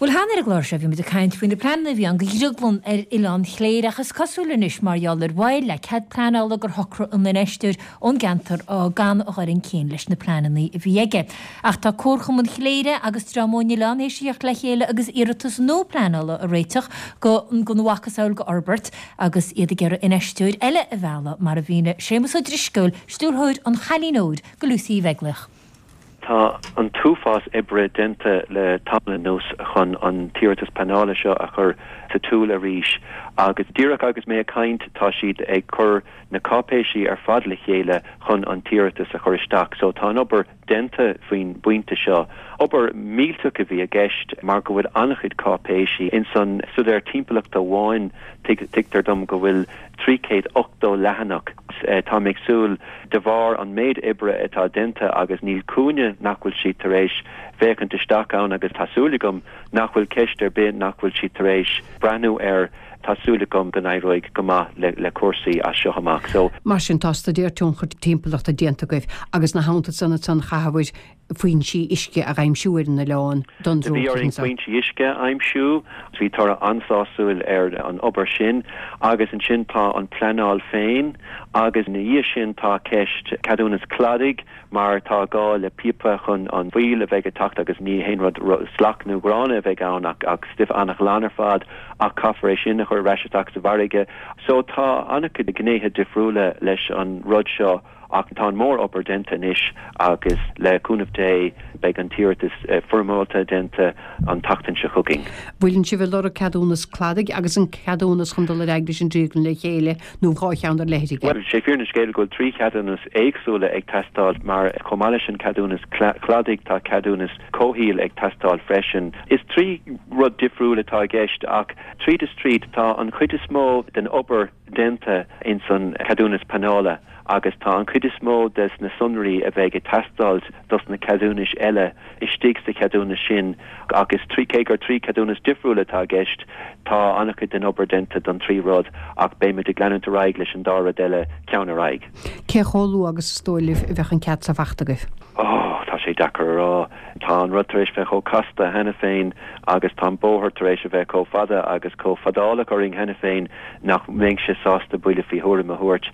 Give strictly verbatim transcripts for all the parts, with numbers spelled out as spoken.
Bhuel cheana ar an gclár seo bhí muid ag caint faoi na pleananna a bhí ann do dhrioglann ar Oileán Chléire ach is cosúil anois mar gheall ar mhoill le cead pleanála gur shocraigh an infheisteoir ón gceantar gan a dhul chun cinn leis na pleananna a bhí aige. Ach tá Comharchumann Chléire agus dream ón oileán théis a theacht le chéile agus iarratas nua pleanála a réiteach go gona mhacasamhail d'fhorbairt agus iad ag iarraidh infheisteoir eile a mhealladh mar a mhínigh Séamus Ó Drisceoil, stiúrthóir an Chailín Óir go Lucy Uí Bheaglaoich. Tá an t-uafás oibre déanta le tamall anuas chun an t-iarratas pleanála seo a chur sa tsiúl arís agus díreach agus mé ag caint tá siad ag cur na cáipéisí ar fad le chéile chun an t-iarratas a chur isteach, so tá an obair déanta faoin bpointe seo. Obair millteach a bhí i gceist mar go bhfuil an-chuid cáipéisí ins an staidéar timpeallachta amháin tuigtear dom go bhfuil trí chéad ochtó leathanach. Táim ag súil de bharr an méid oibre atá déanta agus níl cúinne nach bhfuil siad tar éis féachaint isteach ann agus tá súil agam nach bhfuil ceist ar bith nach bhfuil siad tar éis breathnú air, tá súil agam go n-éireoidh go maith le le cúrsaí as seo amach. So. Mar sin tá staidéar tionchair timpeallachta déanta agaibh agus ina theannta san ansan chaithfear foinsí uisce a aimsiú ar an oileán don Bhí drioglann orainn seo. foinsí uisce a aimsiú, bhí toradh an-sásúil ar an obair sin agus ansin tá an pleanáil féin agus ina dhiaidh sin tá ceist ceadúnas cladaigh mar tá gá le píopa chun an fuíoll a bheidh ag teacht agus ní haon rud salach nó gránna a bheidh ann ach ach stuif an-ghlan ar fad ach caithfear é sin a chur ar ais isteach sa bhfarraige. So tá an-chuid gnéithe difriúla leis an rud seo ach tá an mór-obair déanta anois agus le cúnamh Dé beidh an t-iarratas foirmiúlta déanta an tseachtain seo chugainn. Bhfuileann sibh ag lorg ceadúnas cladaigh agus an ceadúnas chun dul ar aghaidh leis an drioglann le chéile nó dhá cheann ar leithligh? Bhuel, sé fírinne an scéil go bhfuil trí cheadúnas éagsúla ag teastáil mar chomh maith leis an ceadúnas cladaigh tá ceadúnas comhshaoil ag teastáil freisin. Is trí rud difriúil atá i gceist ach tríd is tríd tá an chuid is mó den obair déanta ins an ceadúnas pleanála agus tá an chuid is mó des na sonraí a bheidh ag teastáil dos na ceadúnais eile istigh sa cheadúnas sin agus trí cé gur trí cheadúnas difriúil atá i gceist tá an-chuid den obair déanta don trí rud ach beimid ag leanúint ar aghaidh leis an dá rud eile ceann ar aghaidh. Cé chomh luath agus is dóigh libh a bheadh an cead seo faighte agaibh? Oh, tá sé deacair a rá. Tá an rud tar éis bheith chomh casta cheana féin agus tá an bóthar tar éis a bheith chomh fada agus chomh fadálach orainn cheana féin nach mbeinnse sásta buille faoi thuairim a thabhairt.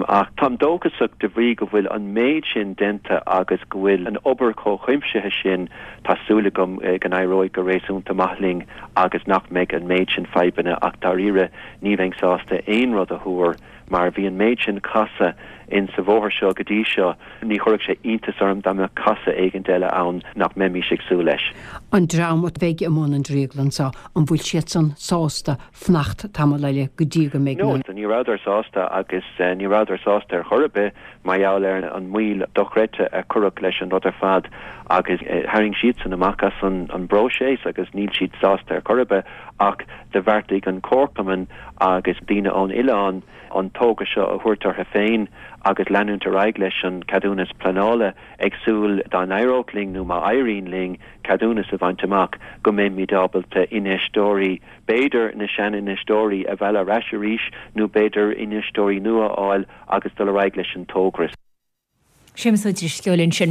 Ach táim dóchasach de bhrí go bhfuil an méid sin déanta agus go bhfuil an obair chomh cuimsitheach sin, tá súil agam go n-éireoidh go réasúnta maith linn agus nach mbeidh an méid sin fadhbanna ach dáiríre ní bheinn sásta aon rud a thuar mar bhí an méid sin casadh in sa bhóthar seo go dtí seo, ní chuirfeadh sé iontas orm dá mbeadh casadh éigint eile ann nach mbeimis ag súil leis. An dream a bheidh i mbun an drioglann seo, an bhfuil siadsan sásta fanacht tamall eile go dtí go mbeidh No, na. ní rabhadar sásta agus ní rabhadar sásta ar chor ar bith mar gheall ar an moill dochreidte a cuireadh leis an rud ar fad agus tharraing siadsan amach as an bpróiseas agus níl siad sásta ar chor ar bith ach do bheartaigh an comharchumann agus daoine ón oileán an togra seo a thabhairt orthu féin agus leanúint ar aghaidh leis an ceadúnas pleanála ag súil dá n-éireodh linn nó má éiríonn linn ceadúnas a bhaint amach go mbeimid ábalta infheisteoirí b'fhéidir na sean-infheisteoirí a mhealladh ar ais arís nó b'fhéidir infheisteoirí nua a fháil agus dul ar aghaidh leis an togra. Séamus Ó Drisceoil ansin.